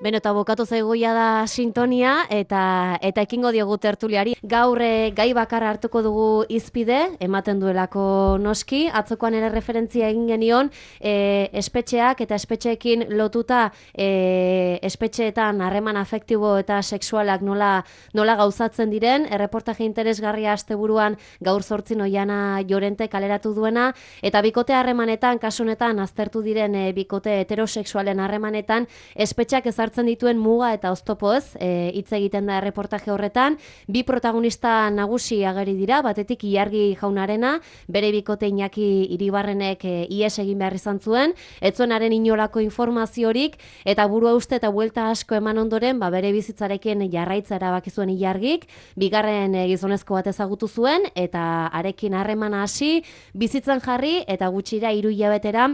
Beno, eta bokatu zaigoia da sintonia eta ekingo diogu tertuliari. Gaur gai bakarra hartuko dugu hizpide, ematen duelako noski. Atzokoan ere referentzia egin genion, espetxeak eta espetxeekin lotuta espetxeetan harreman afektibo eta sexualak nola gauzatzen diren. Erreportaje interesgarria asteburuan gaur 8 Oiana Llorente kaleratu duena, eta bikote harremanetan, kasunetan aztertu diren bikote heterosexualen harremanetan, espetxeak ezartzen dituen muga eta oztopoz hitz egiten da erreportaje horretan. Bi protagonista nagusi ageri dira, batetik Ilargi jaunarena, bere bikote Iñaki Iribarrenek ihes egin behar izan zuen, ez zuen haren inolako informaziorik, eta burua uste eta buelta asko eman ondoren, bere bizitzarekin jarraitza erabaki zuen Ilargik, bigarren gizonezko bat ezagutu zuen, eta harekin harremana hasi, bizitzan jarri, eta gutxira 3 hilabetera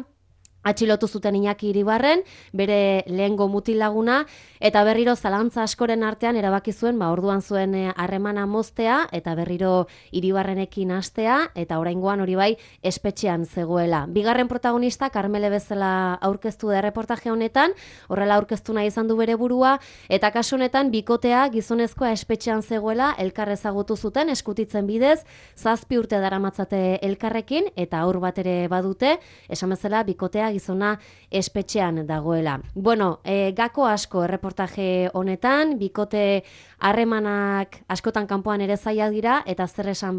atxilotu zuten Iñaki Iribarren, bere lehengo mutil laguna, eta berriro zalantza askoren artean erabaki zuen, orduan zuen harremana moztea, eta berriro Iribarrenekin hastea, eta oraingoan hori bai espetxean zegoela. Bigarren protagonista, Karmele bezala aurkeztu da erreportaje honetan, horrela aurkeztu nahi izan du bere burua, eta kasu honetan bikotea gizonezkoa espetxean zegoela elkar ezagutu zuten eskutitzen bidez, 7 urte daramatzate elkarrekin, eta haur bat ere badute, esan bezala bikotea gizona espetxean dagoela. Bueno, gako asko erreportaje honetan, bikote harremanak askotan kanpoan ere zaila dira, eta zer esan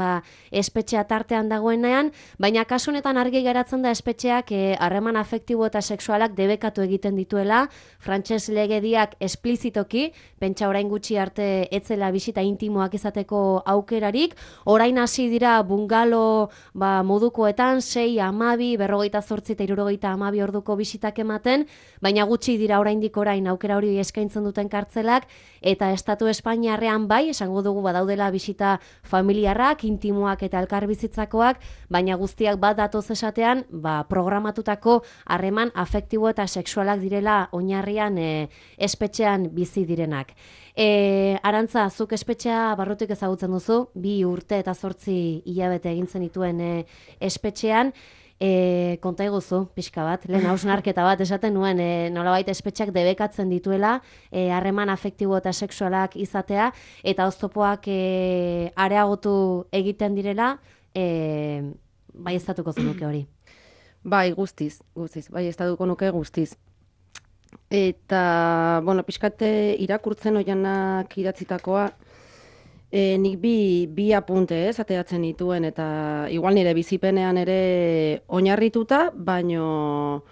espetxea tartean dagoenean, baina kasu honetan argi geratzen da espetxeak harreman afektibo eta sexualak debekatu egiten dituela, frantses legediak esplizitoki, pentsa orain gutxi arte etzela bisita intimoak izateko aukerarik, orain hasi dira bungalo modukoetan, 6, 12, 48 eta 78 orduko bisitak ematen, baina gutxi dira oraindik orain aukera hori eskaintzen duten kartzelak, eta estatu Espainiarrean bai, esango dugu badaudela bisita familiarrak, intimoak eta elkarbizitzakoak, baina guztiak bat datoz esatean, programatutako harreman afektibo eta sexualak direla oinarrian espetxean bizi direnak. Arantza, zuk espetxea barrutik ezagutzen duzu, 2 urte eta 8 hilabete egin zenituen espetxean, konta eguzu, pixka bat, lehen hausnarketa bat esaten nuen, nolabait espetxeak debekatzen dituela, harreman afektibo eta sexualak izatea, eta oztopoak areagotu egiten direla, bai estatuko zenuke hori. Bai, guztiz, bai estatuko nuke guztiz. Eta, pixkate irakurtzen Oianak idatzitakoa, nik bi apunte ateratzen dituen, eta igual nire bizipenean ere oinarrituta, baino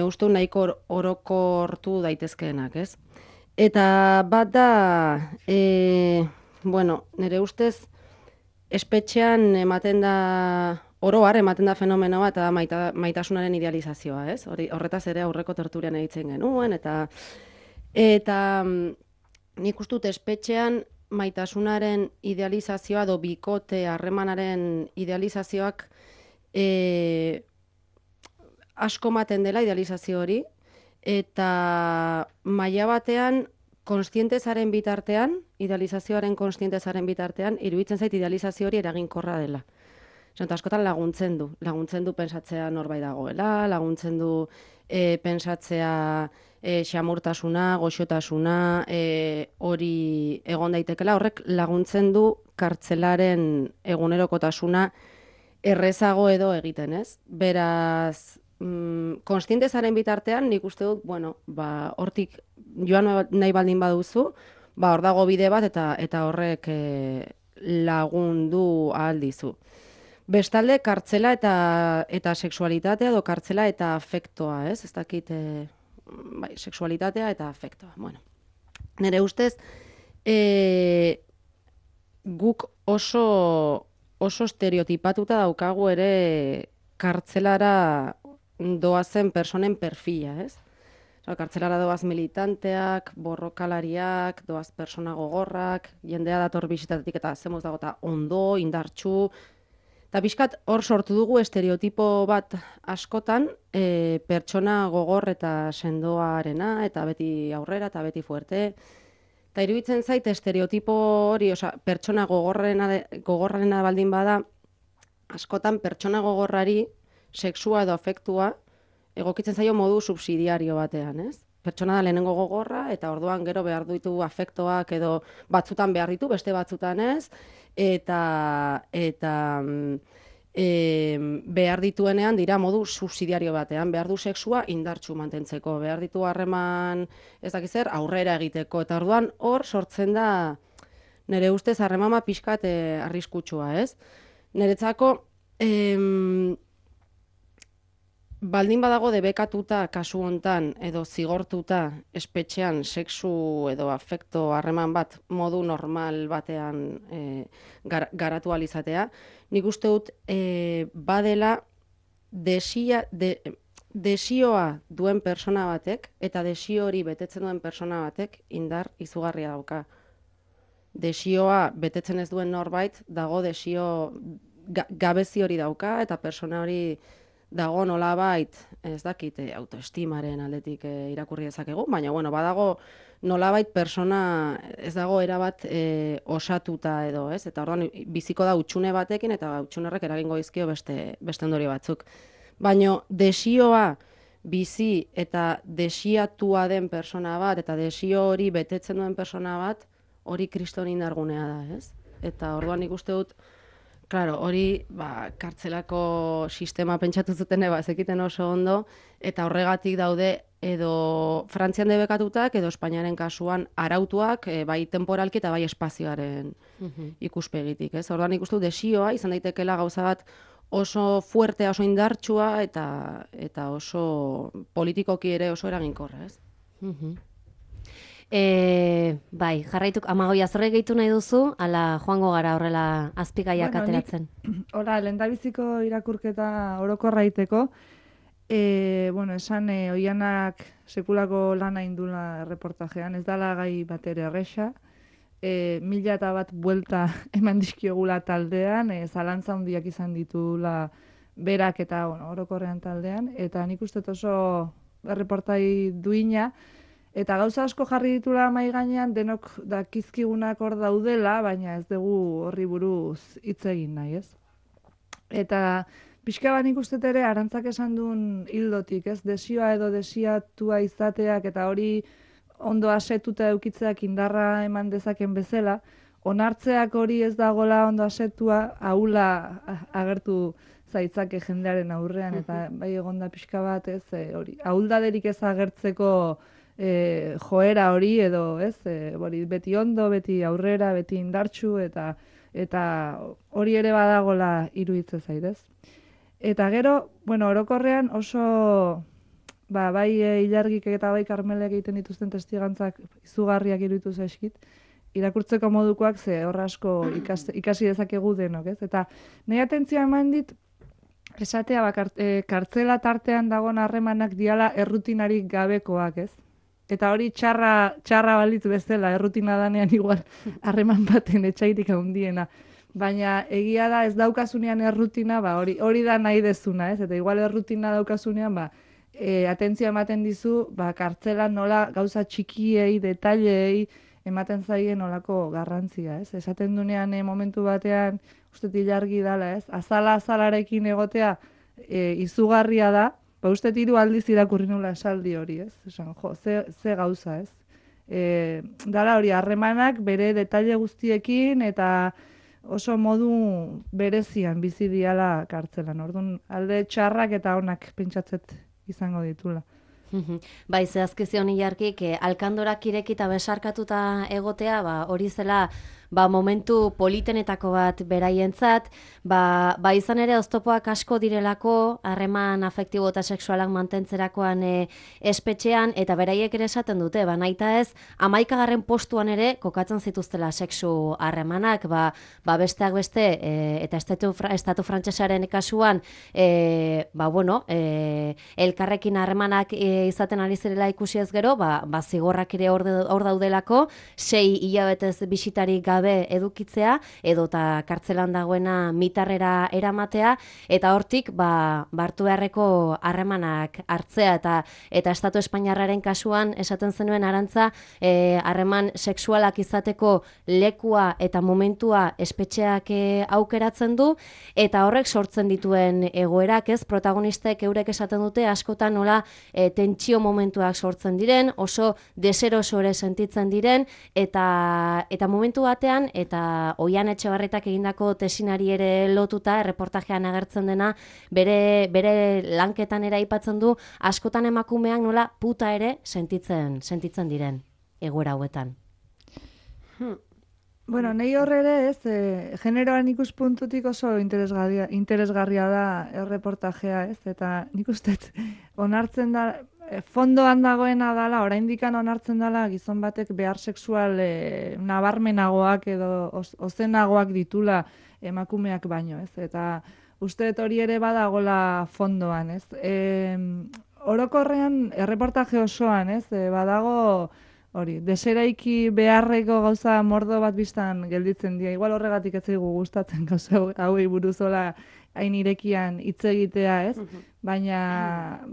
uste nahiko orokortu daitezkeenak, ez? Eta bat da, nire ustez espetxean ematen da, oroar ematen da fenomenoa eta maitasunaren idealizazioa, ez? Horretaz ere aurreko tertulian egiten genuen, eta nik uste dut espetxean maitasunaren idealizazioa edo bikote harremanaren idealizazioak asko ematen dela idealizazio hori, eta maila batean kontzientezaren bitartean, idealizazioaren kontzientezaren bitartean, iruditzen zait idealizazio hori eraginkorra dela. Eta askotan laguntzen du pentsatzea norbait dagoela, laguntzen du pentsatzea xamurtasuna, goxotasuna, hori egon daitekela, horrek laguntzen du kartzelaren egunerokotasuna errezago edo egiten, ez? Beraz, kontzientezaren bitartean, nik uste dut, hortik joan nahi baldin baduzu, hor dago bide bat eta horrek lagundu ahal dizu. Bestalde, kartzela eta sexualitatea edo kartzela eta afektoa, ez? Ez dakit, sexualitatea eta afektoa. Nire ustez, guk oso estereotipatuta daukagu ere kartzelara doazen personen perfila, ez? Kartzelara doaz militanteak, borrokalariak, doaz persona gogorrak, jendea dator bisitatetik eta zemoz dago eta ondo, indartsu. Eta bizkat hor sortu dugu estereotipo bat askotan, pertsona gogor eta sendoarena, eta beti aurrera, eta beti fuerte. Eta iruditzen zait estereotipo hori, pertsona gogorrarena baldin bada, askotan pertsona gogorrari sexua edo afektua egokitzen zaio modu subsidiario batean, ez? pertsona da lehenengo gogorra, eta orduan gero behar ditu afektoak edo batzutan behar ditu, beste batzutan ez, eta behar dituenean dira modu subsidiario batean, behar du sexua indartsu mantentzeko, behar ditu harreman ez dakiz zer aurrera egiteko, eta orduan hor sortzen da nire ustez harremana pixkat arriskutsua, ez? Niretzako baldin badago debekatuta kasu hontan edo zigortuta espetxean sexu edo afekto harreman bat modu normal batean garatu ahal izatea, nik uste dut badela desioa duen persona batek eta desio hori betetzen duen persona batek indar izugarria dauka. Desioa betetzen ez duen norbait dago desio gabezi hori dauka eta persona hori dago nolabait, ez dakit, autoestimaren aldetik irakurri dezakegu, baina bueno, badago nolabait persona ez dago erabat osatuta edo, ez? Eta orduan biziko da hutsune batekin eta hutsunerrek eragingo dizkio beste ondorio batzuk. Baina desioa bizi eta desiatua den persona bat eta desio hori betetzen duen persona bat, hori kriston indargunea da, ez? Eta orduan nik uste dut claro, hori kartzelako sistema pentsatu zuten zekiten oso ondo, eta horregatik daude edo Frantzian debekatutak edo Espainiaren kasuan arautuak bai temporalki eta bai espazioaren ikuspegitik, ez? Orduan ikustu desioa izan daitekeela gauza bat oso fuertea, oso indartsua eta oso politikoki ere oso eraginkorra, ez? Bai, jarraituk, Amagoi, azorre gehitu nahi duzu, ala joango gara horrela azpigaiak ateratzen. Hola, lehendabiziko irakurketa orokorra iteko, esan Oianak sekulako lana indula reportajean, ez dala gai bat ere erresa, 1001 buelta eman dizkiogula taldean, zalantza handiak izan ditula berak eta orokorrean taldean, eta nik uste oso reportai duina, eta gauza asko jarri ditula mahai gainean denok dakizkigunak hor daudela, baina ez dugu horri buruz hitz egin nahi, ez? Eta pixka bat nik uste ere Arantzak esan duen hildotik, ez? Desioa edo desiatua izateak eta hori ondo asetuta eukitzeak indarra eman dezaken bezala, onartzeak hori ez dagola ondo asetua, ahula agertu zaitzake jendearen aurrean, eta bai egonda pixka bat, ez? Hori, ahuldaderik ez agertzeko joera hori edo, ez? Beti ondo, beti aurrera, beti indartsu eta hori ere badagola iruditzen zait, ez? Eta gero, orokorrean oso bai Ilargik eta bai Karmelek egiten dituzten testigantzak izugarriak iruditu zaizkit, irakurtzeko modukoak ze horra asko ikasi dezakegu denok, ez? Eta nahi atentzioa eman dit esatea kartzela tartean dagoen harremanak diala errutinarik gabekoak, ez? Eta hori txarra balitz bezala, errutina danean igual harreman baten etxaitik handiena. Baina egia da ez daukasunean errutina, hori da nahi dezuna, ez? Eta igual errutina daukasunean, atentzia ematen dizu, kartzelan nola gauza txikiei, detailei ematen zaien nolako garrantzia, ez? Esaten dunean momentu batean, uste Ilargi dala, ez? Azalarekin egotea izugarria da, uste 3 aldiz irakurri nula esaldi hori, ez? Esan, ze gauza, ez? Dala hori, harremanak bere detaile guztiekin eta oso modu berezian bizi diala kartzelan. Orduan, alde txarrak eta onak pentsatzet izango ditula. Bai, zehazkizion Ilargik, alkandorak irekita besarkatuta egotea, hori zela momentu politenetako bat beraientzat, izan ere oztopoak asko direlako harreman afektibo eta sexualak mantentzerakoan espetxean, eta beraiek ere esaten dute, nahita ez, 11. postuan ere kokatzen zituztela sexu harremanak, besteak beste, eta estatu frantsesaren kasuan, elkarrekin harremanak izaten ari zirela ikusi ez gero, zigorrak ere hor daudelako, 6 hilabetez bisitarik gabe gabe edukitzea, edota kartzelan dagoena mitarrera eramatea, eta hortik hartu beharreko harremanak hartzea, eta Estatu Espainiarraren kasuan esaten zenuen Arantza, harreman sexualak izateko lekua eta momentua espetxeak aukeratzen du, eta horrek sortzen dituen egoerak, ez, protagonistek eurek esaten dute askotan nola tentsio momentuak sortzen diren, oso deseroso ere sentitzen diren, eta momentu batean, eta Oian Etxebarretak egindako tesinari ere lotuta, erreportajean agertzen dena, bere lanketan ere aipatzen du, askotan emakumeak nola puta ere sentitzen diren egoera hauetan. Bueno, nahi horre ere, ez, generoan ikuspuntutik oso interesgarria da erreportajea, ez, eta nik uste onartzen da, fondoan dagoena dala, oraindikan onartzen dala gizon batek behar sexual nabarmenagoak edo ozenagoak ditula emakumeak baino, ez, eta uste hori ere badagola fondoan, ez. Orokorrean, erreportaje osoan, ez, badago hori, deseraiki beharreko gauza mordo bat biztan gelditzen dira. Igual horregatik ez zaigu gustatzen gauza hauei buruzola hain irekian hitz egitea, ez? Baina,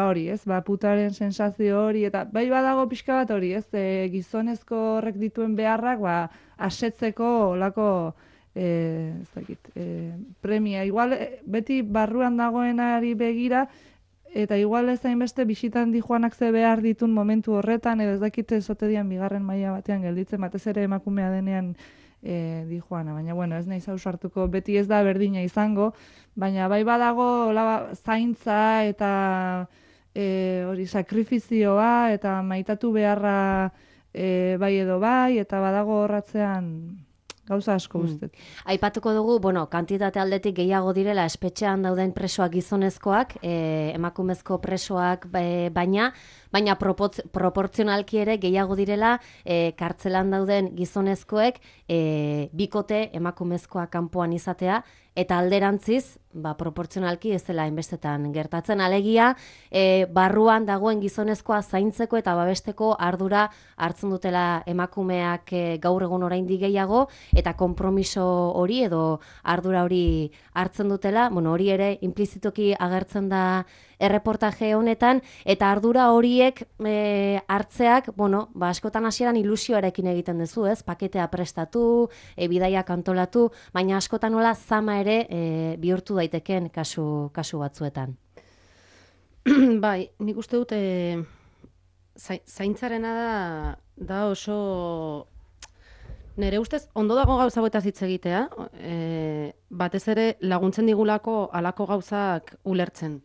hori, ez? Putaren sensazio hori, eta bai badago pixka bat hori, ez? Gizonezko horrek dituen beharrak, asetzeko olako premia. Igual, beti barruan dagoenari begira, eta igual ez hainbeste bisitan dijoanak ze behar ditun momentu horretan, edo ez dakite ezote dian bigarren maila batean gelditzen, batez ere emakumea denean dijoana. Baina, bueno, ez nahi zausartuko, beti ez da berdina izango, baina bai badago zaintza eta hori sakrifizioa eta maitatu beharra bai edo bai, eta badago horratzean gauza asko guztet. Aipatuko dugu, kantitate aldetik gehiago direla espetxean dauden presoak gizonezkoak, emakumezko presoak baina proportzionalki ere gehiago direla kartzelan dauden gizonezkoek bikote emakumezkoa kanpoan izatea, eta alderantziz, proportzionalki ez dela hainbestetan gertatzen. Alegia, barruan dagoen gizonezkoa zaintzeko eta babesteko ardura hartzen dutela emakumeak gaur egun oraindik gehiago, eta konpromiso hori edo ardura hori hartzen dutela, hori ere implizitoki agertzen da erreportaje honetan, eta ardura horiek hartzeak, askotan hasieran ilusioarekin egiten duzu, ez? Paketea prestatu, bidaiak antolatu, baina askotan nola zama ere bihurtu daiteken kasu batzuetan. Bai, nik uste dut zaintzarena da oso... Nere ustez, ondo dago gauza hauetaz hitz egitea, batez ere laguntzen digulako halako gauzak ulertzen.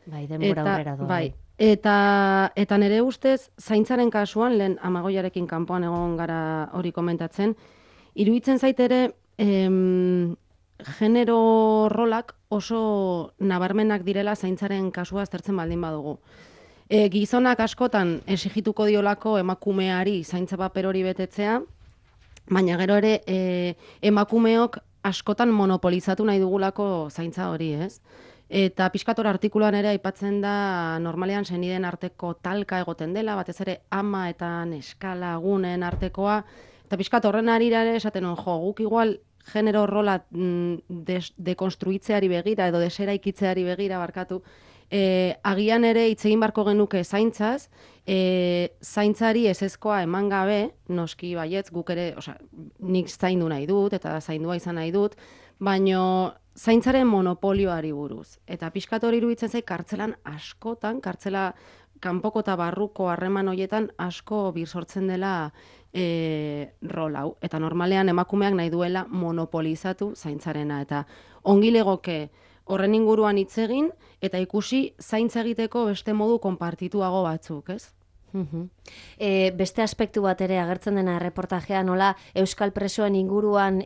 Bai, denbora aurrera doa. Bai. Eta nere ustez, zaintzaren kasuan, lehen Amagoiarekin kanpoan egon gara hori komentatzen, iruditzen zait ere genero rolak oso nabarmenak direla zaintzaren kasua aztertzen baldin badugu. Gizonak askotan esigituko diolako emakumeari zaintza paper hori betetzea, baina gero ere emakumeok askotan monopolizatu nahi dugulako zaintza hori, ez? Eta pixkator artikuluan ere aipatzen da normalean senideen arteko talka egoten dela, batez ere ama eta neskalagunen artekoa, eta pixkat horren arira ere esaten guk igual genero rola dekonstruitzeari begira edo deseraikitzeari begira barkatu, agian ere hitz egin barko genuke zaintzaz, zaintzari ezezkoa eman gabe, noski baietz, guk ere, nik zaindu nahi dut eta zaindua izan nahi dut, baino zaintzaren monopolioari buruz. Eta pixkat hori iruditzen zait kartzelan askotan, kartzela kanpoko eta barruko harreman horietan asko bir sortzen dela rol hau. Eta normalean emakumeak nahi duela monopolizatu zaintzarena. Eta ongi legoke horren inguruan hitz egin eta ikusi zaintza egiteko beste modu konpartituago batzuk, ez? Beste aspektu bat ere agertzen dena erreportajea, nola euskal presoen inguruan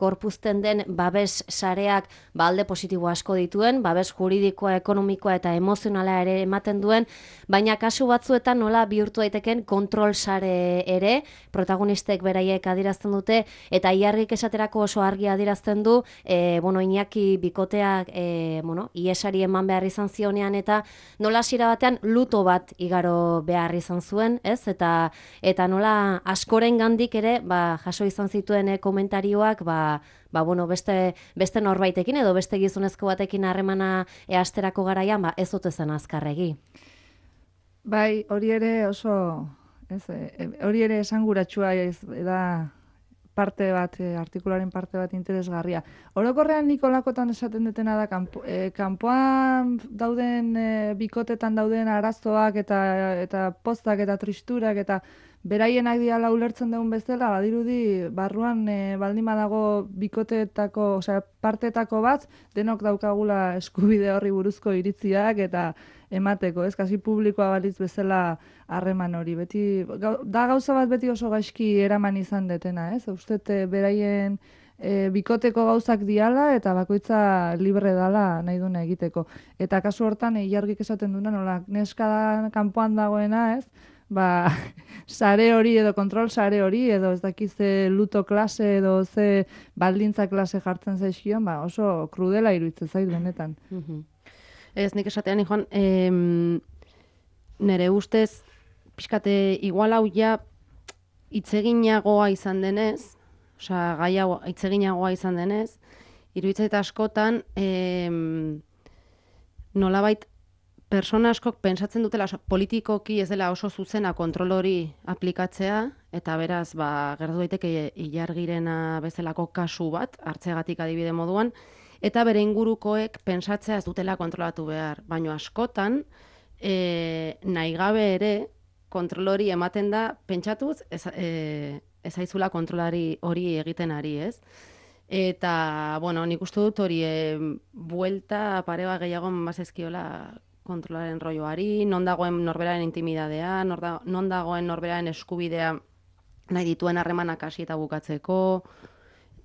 gorpuzten den babes sareak alde positibo asko dituen, babes juridikoa, ekonomikoa eta emozionala ere ematen duen, baina kasu batzuetan nola bihurtu daiteken kontrol sare ere, protagonistek beraiek adierazten dute, eta Iarrik esaterako oso argi adierazten du, Iñaki bikoteak iesari eman behar izan zionean, eta nola hasiera batean luto bat igaro behar izan izan zuen, ez? Eta nola askorengandik ere, jaso izan zituen komentarioak, bueno, beste norbaitekin edo beste gizonezko batekin harremana hasterako garaian, ez ote zen azkarregi. Bai, hori ere oso, hori ere esanguratsua da parte bat, artikularen parte bat interesgarria. Orokorrean Nikolakotan esaten dutena da, kanpoan dauden, bikotetan dauden arazoak eta poztak eta tristurak eta beraienak diala ulertzen dugun bezala, badirudi barruan baldin badago bikoteetako, osea, partetako bat, denok daukagula eskubide horri buruzko iritziak eta emateko, ez, kasi publikoa balitz bezala harreman hori. Beti, da gauza bat beti oso gaizki eraman izan detena, ez? Ustet beraien bikoteko gauzak diala eta bakoitza libre dala nahi duna egiteko. Eta kasu hortan, Ilargik esaten duna, nola, neska kanpoan dagoena, ez? Sare hori edo kontrol sare hori edo ez dakiz luto klase edo ze baldintza klase jartzen zaizkion, oso krudela iruditzen zait benetan. Ez, nik esatean, Joan, nire ustez, pixkate igual hau ja hitzeginagoa izan denez, osea, gai hau hitzeginagoa izan denez, iruditzen askotan, nolabait, persona askok pentsatzen dutela, politikoki ez dela oso zuzena kontrol hori aplikatzea, eta beraz, gertu daiteke Ilargirena bezalako kasu bat, hartzegatik adibide moduan, eta bere ingurukoek pentsatzea ez dutela kontrolatu behar. Baina askotan, nahi gabe ere, kontrol hori ematen da, pentsatuz, ez aizula kontrolari hori egiten ari, ez? Eta, bueno, nik uste dut hori buelta pareba gehiago mazezkiola kontrolaren rolloari, non dagoen norberaren intimidadea, non dagoen norberaren eskubidea nahi dituen harremanak hasi eta bukatzeko,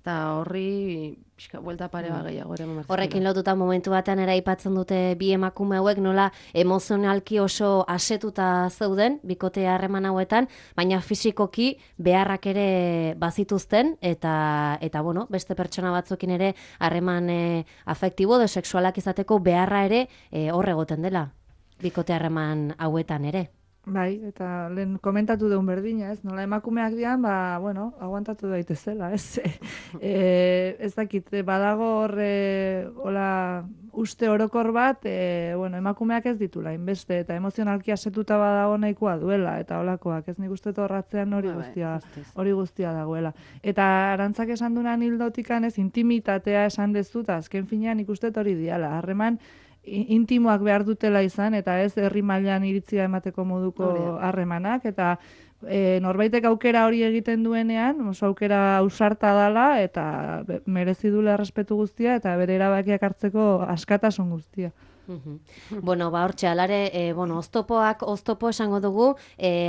eta horri buelta pareba gehiago ere mamartzela. Horrekin lotuta momentu batean ere aipatzen dute bi emakume hauek nola emozionalki oso asetuta zeuden bikote harreman hauetan, baina fisikoki beharrak ere bazituzten eta bueno, beste pertsona batzuekin ere harreman afektibo edo sexualak izateko beharra ere hor egoten dela bikote harreman hauetan ere. Bai, eta lehen komentatu deun berdina, ez? Nola emakumeak dian, bueno, aguantatu daitezela, ez? Ez dakit, badago horre, uste orokor bat, bueno, emakumeak ez ditula, inbeste, eta emozionalki asetuta badago nahikoa duela, eta holakoak, ez nik uste torratzean hori guztia dagoela. Eta Arantzak esan dunan hildotikan ez, intimitatea esan dezuta, azken finean ikuste hori diala, harreman, intimoak behar dutela izan, eta ez herri mailan iritzia emateko moduko harremanak, eta norbaitek aukera hori egiten duenean, oso aukera ausarta dala, eta merezi duela errespetu guztia, eta bere erabakiak hartzeko askatasun guztia. Bueno, hortxe, alare, oztopo esango dugu,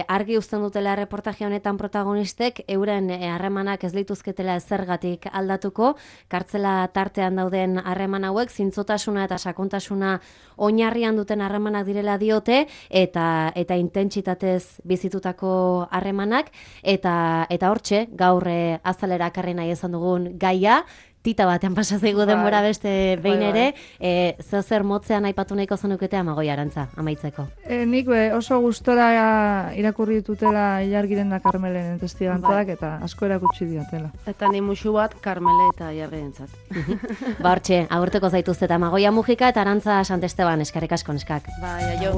argi uzten dutela reportaje honetan protagonistek, euren harremanak ez lituzketela zergatik aldatuko, kartzela tartean dauden harreman hauek, zintzotasuna eta sakontasuna oinarrian duten harremanak direla diote, eta intentsitatez bizitutako harremanak, eta hortxe, gaur azalera akarri nahi esan dugun gaia, tita batean pasazaigu denbora beste behin ere, zer motzean aipatu nahiko zenukete Amagoi Arantza, amaitzeko. Nik oso gustora irakurri ditutela Ilargiren da Karmelen testigantzak eta asko erakutsi diatela. Eta ni musu bat Karmele eta Ilargirentzat. Hortxe, agurtuko zaituzte eta Amagoia Mujika eta Arantza Santesteban, eskerrik asko neskak. Bai, aio.